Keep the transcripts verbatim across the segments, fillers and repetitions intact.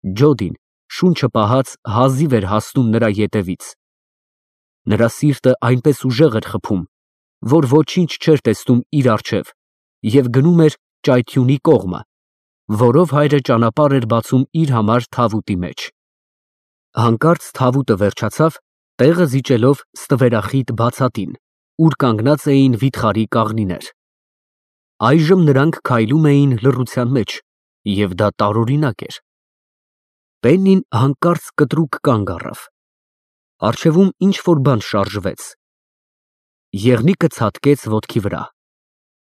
Ջոդին շունչը պահած հազիվ էր հասնում նրա ետևից։ Նրա սիրտը այնպես ուժեղ էր խփում, որ ոչինչ չէր տեսնում իր առջև և գնում էր ճայթյունի կողմը, որով հայրը ճանապարհ էր բացում իր համար թավուտի մեջ։ Հանկարծ թավուտը վերջացավ, տեղը զիջելով ստվերախիտ բացատին, ուր կանգնած էին վիթխարի կաղնիներ։ Այժմ նրանք քայլում էին լռության մեջ, և դա տարօրինակ էր։ Պեննին հանկարծ կտրուկ կանգ առավ։ Առջևում ինչ֊որ բան շարժվեց։ Եղնիկը ցատկեց ոտքի վրա։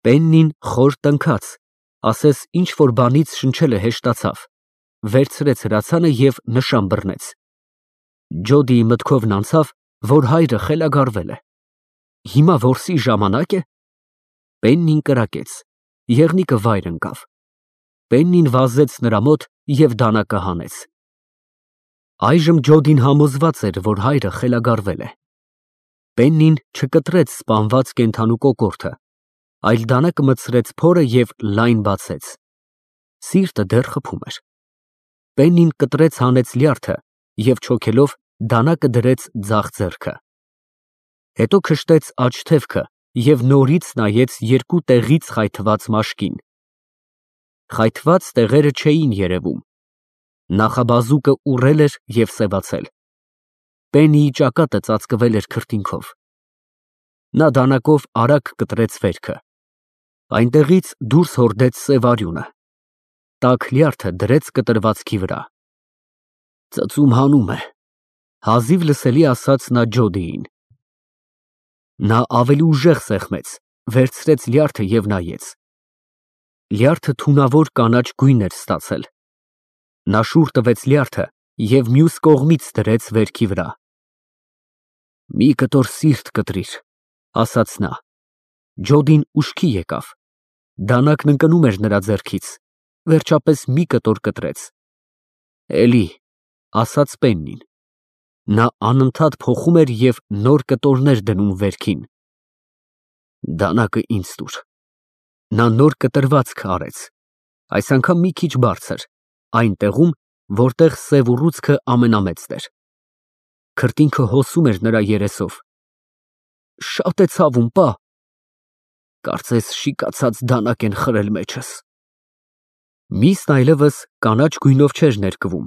Պեննին խոր տնքաց, ասես ինչ֊որ բանից շնչելը հեշտացավ, վերցրեց հրացանը և նշան բռնեց։ Ջոդիի մտքովն անցավ, որ հայրը խելագարվել է։ Հիմա որսի ժամանա՞կ է։ Պեննին կրակեց, եղնիկը վայր ընկավ։ Պեննին վազեց նրա մոտ և դանակը հանեց։ Այժմ Ջոդին համոզված էր, որ հայրը խելագարվել է։ Պեննին չկտրեց սպանված կենդանու կոկորդը, այլ դանակը մտցրեց փորը և լայն բացեց։ Սիրտը դեռ խփում էր։ Պեննին կտրեց հանեց լյարդը և չոքելով դանակը դրեց ձախ ձեռքը։ Հետո քշտեց աջ թևքը և նորից նայեց երկու տեղից խայթված մաշկին։ Խայթված տեղերը չէին երևում։ Նախաբազուկը ուռել էր և սևացել։ Պեննիի ճակատը ծածկվել էր քրտինքով։ Նա դանակով արագ կտրեց վերքը։ Այնտեղից դուրս հորդեց սև արյունը։ Տաք լյարդը դրեց կտրվածքի վրա։ Ծծում հանում է, հազիվ լսելի ասաց նա Ջոդիին։ Նա ավելի ուժեղ սեղմեց, վերցրեց լյարդը և նայեց։ Լյարդը թունավոր կանաչ գույն էր ստացել։ Նա շուռ տվեց լյարդը և մյուս կողմից դրեց վերքի վրա։ Մի կտոր սիրտ կտրիր, ասաց նա։ Ջոդին ուշքի եկավ։ Դանակն ընկնում էր նրա ձեռքից, վերջապես մի կտոր կտրեց։ Էլի, ասաց Պեննին։ Նա անընդհատ փոխում էր և նոր կտորներ դնում վերքին։ Դանակը ինձ տուր։ Նա նոր կտրվածք արեց, այս անգամ մի քիչ բարձր, այն տեղում, որտեղ սև ուռուցքը ամենամեծն էր։ Քրտինքը հոսում էր նրա երեսով։ Շատ է ցավում, պա։ Կարծես շիկացած դանակ են խրել մեջս։ Միսն այլևս կանաչ գույնով չէր ներկվում։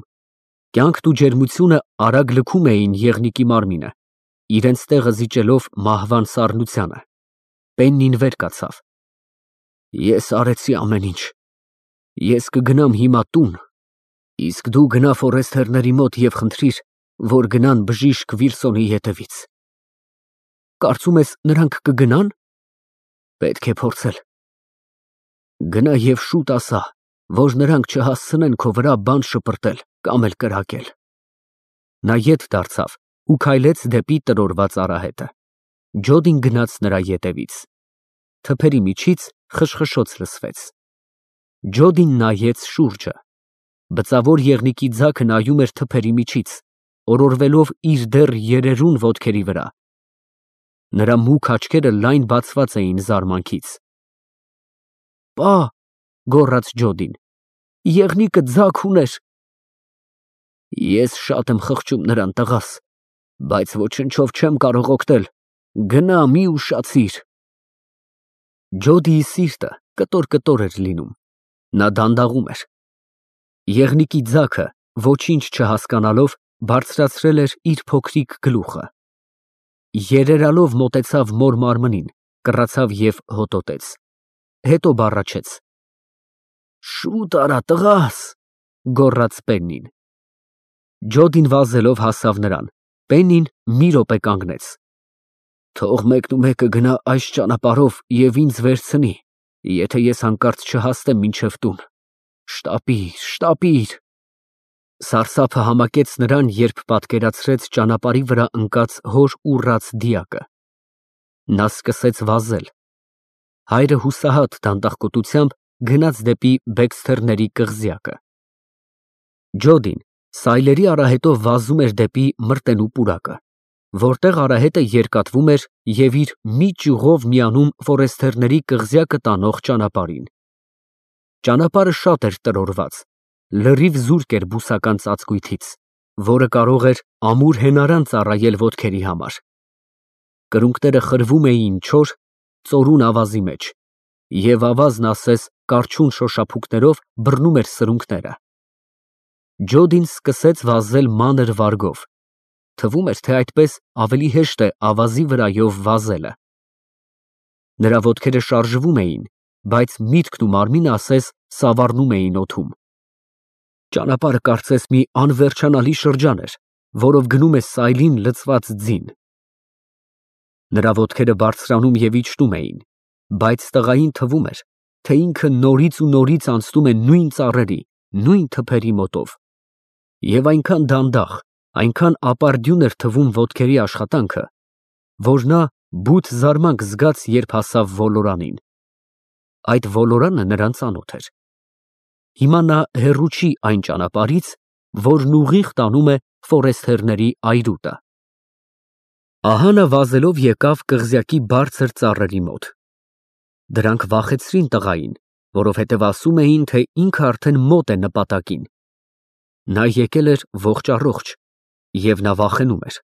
Կյանքն ու ջերմությունը արագ լքում էին եղնիկի մարմինը, իրենց տեղը զիջելով մահվան սառնությանը։ Պեննին վեր կացավ։ Ես արեցի ամեն ինչ։ Ես կգնամ հիմա տուն, իսկ դու գնա Ֆորեստերների մոտ և խնդրիր, որ գնան բժիշկ Վիլսոնի ետևից։ Կարծում ես, նրանք կգնա՞ն։ Պետք է փորձել։ Գնա և շուտ ասա, որ նրանք չհասցնեն քո վրա բան շպրտել կամ էլ կրակել։ Նա ետ դարձավ ու քայլեց դեպի տրորված արահետը։ Ջոդին գնաց նրա ետևից։ Թփերի միջից խշխշոց լսվեց։ Ջոդին նայեց շուրջը։ Բծավոր եղնիկի ձագը նայում էր թփերի միջից, օրորվելով իր դեռ երերուն ոտքերի վրա։ Նրա մուգ աչքերը լայն բացված էին զարմանքից։ Պա, գոռաց Ջոդին, եղնիկը ձագ ուներ։ Ես շատ եմ խղճում նրան, տղաս, բայց ոչնչով չեմ կարող օգնել, գնա, մի ուշացիր։ Ջոդիի սիրտը կտոր-կտոր էր լինում։ Նա դանդաղում էր։ Եղնիկի ձագը, ոչինչ չհասկանալով, բարձրացրել էր իր փոքրիկ գլուխը։ Երերալով մոտեցավ մոր մարմնին, կռացավ և հոտոտեց։ Հետո բառաչեց։ Շուտ արա, տղաս, գոռաց Պեննին։ Ջոդին վազելով հասավ նրան։ Պեննին մի րոպե կանգնեց։ Թող մեկնումեկը գնա այս ճանապարհով և ինձ վերցնի, եթե ես հանկարծ չհասնեմ մինչև տուն։ Շտապիր, շտապիր։ Սարսափը համակեց նրան, երբ պատկերացրեց ճանապարհի վրա ընկած հոր ուռած դիակը։ Նա սկսեց վազել։ Հայրը հուսահատ դանդաղկոտությամբ գնաց դեպի Բեքսթերների կղզյակը։ Ջոդին սայլերի արահետով վազում էր դեպի մրտենու պուրակը, որտեղ արահետը երկաթվում էր և իր մի ճյուղով միանում Ֆորեստերների կղզյակը տանող ճանապարհին։ Ճանապարհը շատ էր տրորված, լրիվ զուրկ էր բուսական ծածկույթից, որը կարող էր ամուր հենարան ծառայել ոտքերի համար։ Կրունկները խրվում էին չոր, ծորուն ավազի մեջ, և ավազն ասես կառչուն շոշափուկներով բռնում էր սրունքները։ Ջոդին սկսեց վազել մանր վարգով, թվում էր, թե այդպես ավելի հեշտ է ավազի վրայով վազելը։ Նրա ոտքերը շարժվում էին, բայց միտքն ու մարմինը ասես սավառնում էին օդում։ Ճանապարհը կարծես մի անվերջանալի շրջան էր, որով գնում է սայլին լցված ձին։ Նրա ոտքերը բարձրանում և իջնում էին, բայց տղային թվում էր, թե ինքը նորից ու նորից անցնում է նույն ծառերի, նույն թփերի մոտով։ Եվ այնքան դանդաղ, այնքան ապարդյուն էր թվում ոտքերի աշխատանքը, որ նա բութ զարմանք զգաց, երբ հասավ ոլորանին։ Այդ ոլորանը նրան ծանոթ էր։ Հիմա նա հեռու չի այն ճանապարհից, որն ուղիղ տանում է Ֆորեսթերների այրուտը։ Ահա նա վազելով եկավ կղզյակի բարձր ծառերի մոտ։ Դրանք վախեցրին տղային, որովհետև ասում էին, թե ինքը արդեն մոտ է նպատակին։ Նա եկել էր ողջ առողջ, և նա վախենում էր։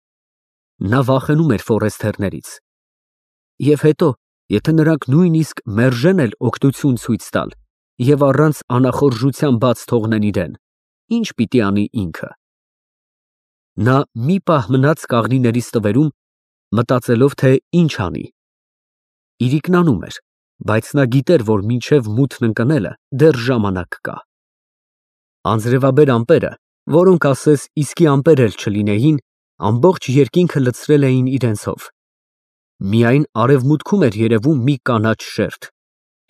Նա վախենում էր Ֆորեսթերներից։ Եվ հետո, եթե նրանք նույնիսկ մերժեն էլ օգնություն ցույց տալ և առանց անախորժության բաց թողնեն իրեն, ի՞նչ պիտի անի ինքը։ Նա մի պահ մնաց կաղնիների ստվերում, մտածելով, թե ինչ անի։ Իրիկնանում էր, բայց նա գիտեր, որ մինչև մութն ընկնելը դեռ ժամանակ կա։ Անձրևաբեր ամպերը, որոնք ասես իսկի ամպեր էլ չլինեին, ամբողջ երկինքը լցրել էին իրենցով։ Միայն արևմուտքում էր երևում մի կանաչ շերտ,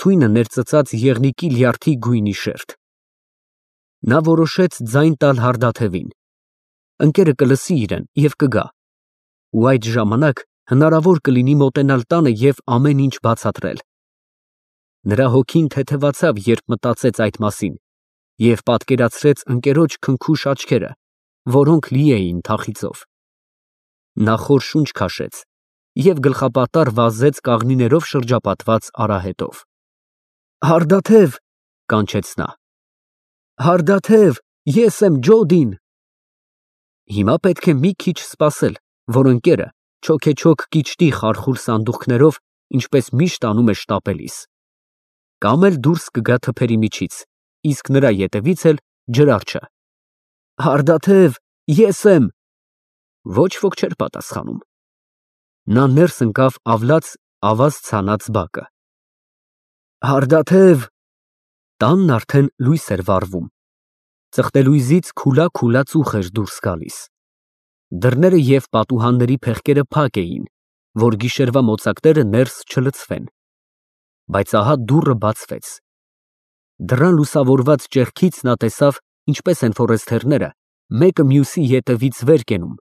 թույնը ներծծած եղնիկի լյարդի գույնի շերտ։ Նա որոշեց ձայն տալ հարդաթևին։ Ընկերը կլսի իրեն և կգա, ու այդ ժամանակ հնարավոր կլինի մոտենալ տանը և ամեն ինչ բացատրել։ Նրա հոգին թեթևացավ, երբ մտածեց այդ մասին, և պատկերացրեց ընկերոջ քնքուշ աչքերը, որոնք լի էին թախիծով։ Նա խոր շունչ քաշեց և գլխապատառ վազեց կաղնիներով շրջապատված արահետով։ Հարդաթև, կանչեց նա։ Հարդաթև, ես եմ Ջոդին։ Հիմա պետք է մի քիչ սպասել, որ ընկերը չոքեչոք կիջտի խարխուլ սանդուղքներով, ինչպես միշտ անում է շտապելիս։ Կամ էլ դուրս կգա թփերի միջից, իսկ նրա ետևից էլ ջրարջը։ Հարդաթև, ես եմ։ Ոչ ոք չէր պատասխանում։ Նա ներս ընկավ ավլաց ավազ ցանած բակը։ Հարդաթև։ Տանն արդեն լույս էր վառվում։ Ծխտելույզից քուլա֊քուլա ծուխ էր դուրս գալիս։ Դռները և պատուհանների փեղկերը փակ էին, որ գիշերվա մոծակները ներս չլցվեն։ Բայց ահա դուռը բացվեց։ Դռան լուսավորված ճեղքից նա տեսավ, ինչպես են ֆորեսթերները մեկը մյուսի ետևից վեր կենում,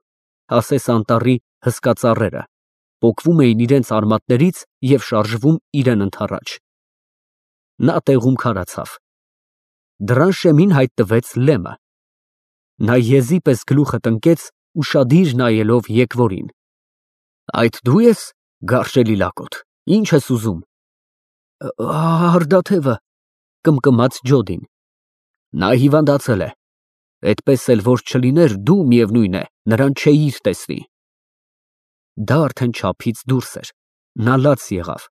ասես անտառի հսկա ծառերը, պոկվում էին իրենց արմատներից և շարժվում իրեն ընդառաջ։ Նա տեղում քարացավ։ Դռան շեմին հայտնվեց Լեմը։ Նա եզի պես գլուխը տնկեց, ուշադիր նայելով եկվորին։ Այդ դու ես, գարշելի լակոտ, ի՞նչ ես ուզում։ Հարդաթևը, կմկմաց Ջոդին։ Նա հիվանդացել է։ Այդպես էլ որ չլիներ, դու, միևնույն է, նրան չէիր տեսնի։ Դա արդեն չափից դուրս էր։ Նա լաց եղավ։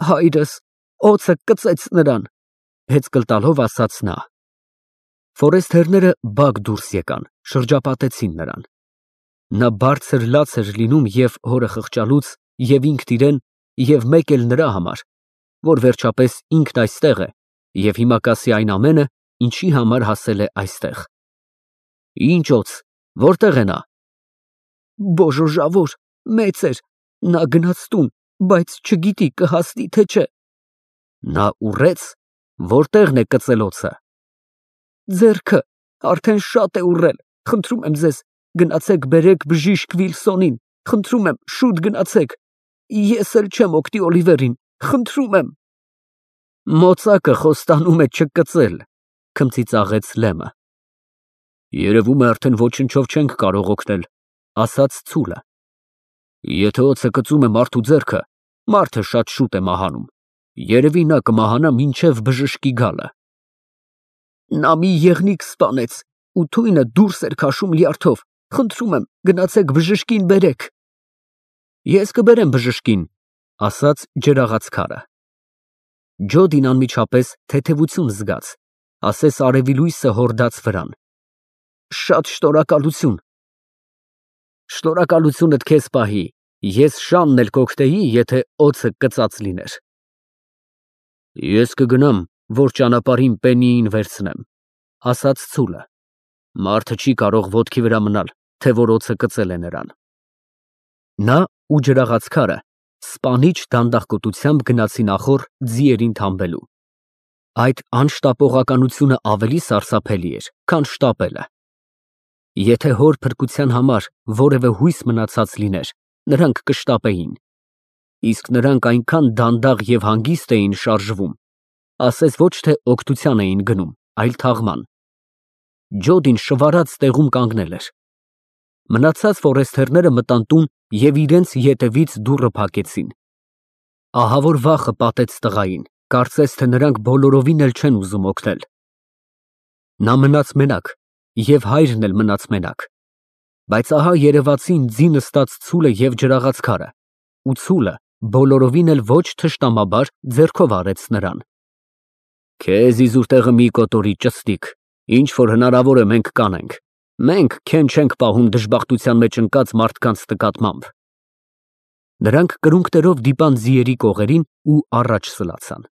Հայրս օձը կծեց նրան, հեծկլ տալով ասաց նա։ Ֆորեսթերները բակ դուրս եկան, շրջապատեցին նրան։ Նա բարձր լաց էր լինում և հորը խղճալուց, և ինքն իրեն, և մեկ էլ նրա համար, որ վերջապես ինքն այստեղ է և հիմա կասի այն ամենը, ինչի համար հասել է այստեղ։ Ինչ օձ, որտե՞ղ է նա։ Բոժոժավոր, մեծ էր, նա գնաց տուն, բայց չգիտի կհասնի, թե չէ։ Նա ուռեց, որտե՞ղն է կծել օձը։ Ձեռքը, արդեն շատ է ուռել, խնդրում եմ ձեզ, գնացեք բերեք բժիշկ Վիլսոնին, խնդրում եմ, շուտ գնացեք, ես էլ չեմ օգտի Օլիվերին, խնդրում եմ։ Մոծակը խոստանում է չկծել, քմծիծաղեց Լեմը։ Երևում է արդեն ոչնչով չենք կարող օգնել, ասաց ծուլը։ Եթե օձը կծում է մարդու ձեռքը, մարդը շատ շուտ է մահանում։ Երևի նա կմահանա մինչև բժշկի գալը։ Նա մի եղնիկ սպանեց ու թույնը դուրս էր քաշում լյարդով։ Խնդրում եմ, գնացեք բժշկին բերեք։ Ես կբերեմ բժշկին, ասաց ջրաղաց քարը։ Ջոդին անմիջապես թեթևություն զգաց, ասես արևի լույսը հորդաց վրան։ Շատ շնորհակալություն։ Շնորհակալությունդ քեզ պահի, ես շանն էլ կօգնեի, եթե օձը կծած լիներ։ Ես կգնամ, որ ճանապարհին պենիին վերցնեմ, ասաց ծուլը։ Մարդը չի կարող ոտքի վրա մնալ, թե որ օձը կծել է նրան։ Նա ու ջրաղաց քարը սպանիչ դանդաղկոտությամբ գնացին ախոր ձիերին թամբելու։ Այդ անշտապողականությունը ավելի սարսափելի էր, քան շտապելը։ Եթե հոր փրկության համար որևէ հույս մնացած լիներ, նրանք կշտապեին։ Իսկ նրանք այնքան դանդաղ և հանգիստ էին շարժվում, ասես ոչ թե օգնության էին գնում, այլ թաղման։ Ջոդին շվարած տեղում կանգնել էր։ Մնացած ֆորեստերները մտան տուն և իրենց ետևից դուռը փակեցին։ Ահա որ վախը պատեց տղային, կարծես թե նրանք բոլորովին էլ չեն ուզում օգնել։ Նա մնաց մենակ, և հայրն էլ մնաց մենակ։ Բայց ահա երևացին ձի նստած ծուլը և ջրաղաց քարը, ու ծուլը բոլորովին էլ ոչ թշնամաբար ձեռքով արեց նրան։ Քեզ իզուր տեղը մի կոտորի, ճստիկ, ինչ որ հնարավոր է մենք կանենք։ Մենք քեն չենք պահում դժբախտության մեջ ընկած մարդկանց նկատմամբ։ Նրանք կրունկներով դիպան ձիերի կողերին ու առաջ սլացան։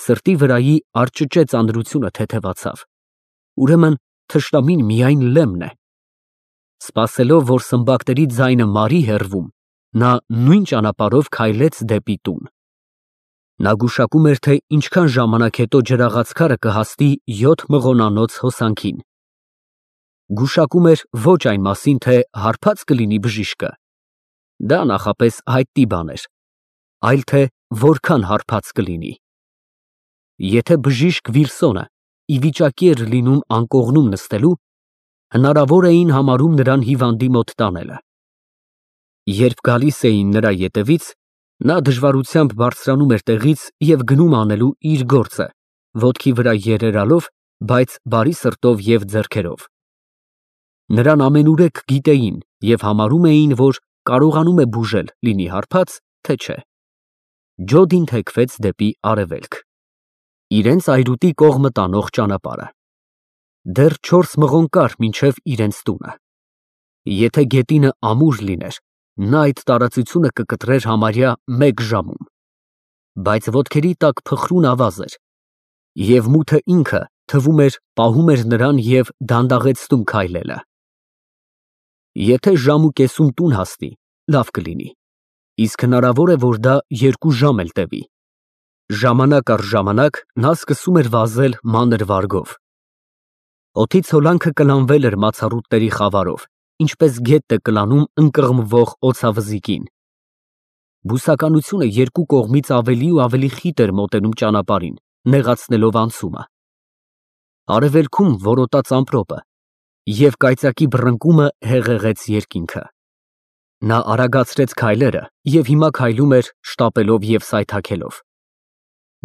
Սրտի վրայի արճճե ծանրությունը թեթևացավ։ Ուրեմն թշնամին միայն Լեմն է։ Սպասելով, որ սմբակների ձայնը մարի հեռվում, նա նույն ճանապարհով քայլեց դեպի տուն։ Նա գուշակում էր, թե ինչքան ժամանակ հետո ջրաղաց քարը կհասնի յոթ մղոնանոց հոսանքին։ Գուշակում էր ոչ այն մասին, թե հարբած կլինի բժիշկը, դա նախապես հայտնի բան էր, այլ թե որքան հարբած կլինի։ Եթե բժիշկ Վիլսոնը ի վիճակի էր լինում անկողնում նստելու, հնարավոր էին համարում նրան հիվանդի մոտ տանելը։ Երբ գալիս էին նրա ետևից, նա դժվարությամբ բարձրանում էր տեղից և գնում անելու իր գործը, ոտքի վրա երերալով, բայց բարի սրտով և ձեռքերով։ Նրան ամենուրեք գիտեին և համարում էին, որ կարողանում է բուժել, լինի հարբած, թե չէ։ Ջոդին թեքվեց դեպի արևելք, իրենց այրուտի կողմը տանող ճանապարհը։ Դեռ չորս մղոն կար մինչև իրենց տունը։ Եթե գետինը ամուր լիներ, նա այդ տարածությունը կկտրեր համարյա մեկ ժամում։ Բայց ոտքերի տակ փխրուն ավազ էր, և մութը ինքը, թվում էր, պահում էր նրան և դանդաղեցնում քայլելը։ Եթե ժամ ու կեսում տուն հասնի, լավ կլինի, իսկ հնարավոր է, որ դա երկու ժամ էլ տևի։ Ժամանակ առ ժամանակ նա սկսում էր վազել մանր վարգով։ Օդից հոլանքը կլանվել էր մացառուտների խավարով, ինչպես գետն է կլանում ընկղմվող օձավզիկին։ Բուսականությունը երկու կողմից ավելի ու ավելի խիտ էր մոտենում ճանապարհին, նեղացնելով անցումը։ Արևելքում որոտաց ամպրոպը, և կայծակի բռնկումը հեղեղեց երկինքը։ Նա արագացրեց քայլերը և հիմա քայլում էր շտապելով և սայթաքելով։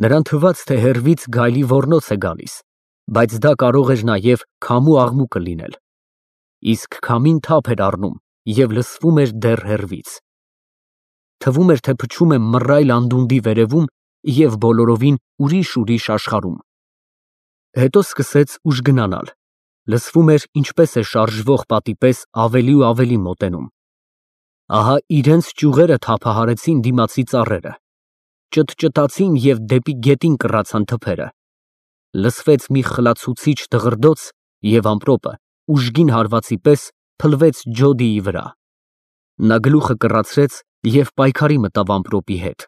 Նրան թվաց, թե հեռվից գայլի ոռնոց է գալիս, բայց դա կարող էր նաև քամու աղմուկը լինել։ Իսկ քամին թափ էր առնում և լսվում էր դեռ հեռվից։ Թվում էր, թե փչում է մռայլ անդունդի վերևում և բոլորովին ուրիշ֊ուրիշ աշխարհում։ Հետո սկսեց ուժգնանալ, լսվում էր ինչպես է շարժվող պատի պես ավելի ու ավելի մոտենում։ Ահա իրենց ճյուղերը թափահարեցին դիմացի ծառերը, ճտճտացին և դեպի գետին կռացան թփերը։ Լսվեց մի խլացուցիչ դղրդոց, և ամպրոպը ուժգին հարվածի պես փլվեց Ջոդիի վրա։ Նա գլուխը կռացրեց և պայքարի մտավ ամպրոպի հետ։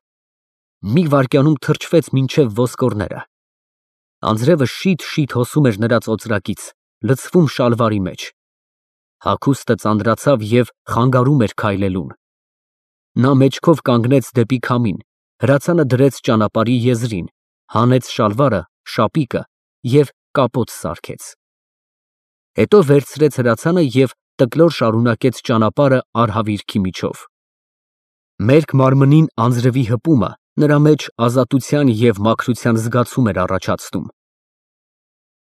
Մի վայրկյանում թրջվեց մինչև ոսկորները։ Անձրևը շիթ֊շիթ հոսում էր նրա ծոծրակից, լցվում շալվարի մեջ։ Հագուստը ծանրացավ և խանգարում էր քայլելուն։ Նա մեջքով կանգնեց դեպի քամին, հրացանը դրեց ճանապարհի եզրին, հանեց շալվարը, շապիկը և կապոտ սարքեց։ Հետո վերցրեց հրացանը և տկլոր շարունակեց ճանապարհը արհավիրքի միջով։ Մերկ մարմնին անձրևի հպումը նրա մեջ ազատության և մաքրության զգացում էր առաջացնում։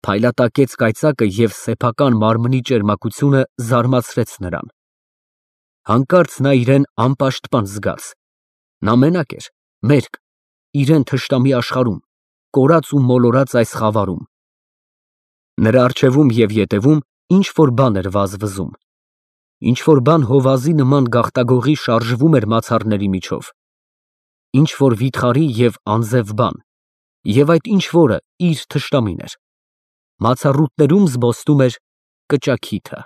Փայլատակեց կայծակը և սեփական մարմնի ճերմակությունը զարմացրեց նրան։ Հանկարծ նա իրեն անպաշտպան զգաց։ Նա մենակ էր, մերկ, իրեն թշնամի աշխարհում, կորած ու մոլորած այս խավարում։ Նրա առջևում և ետևում ինչ֊որ բան էր վազվզում։ Ինչ֊որ բան հովազի նման գաղտագողի շարժվում էր մացառների միջով։ Ինչ֊որ վիթխարի և անձև բան, և այդ ինչ֊որը իր թշնամին էր։ Մացառուտներում զբոսնում էր կճաքիթը։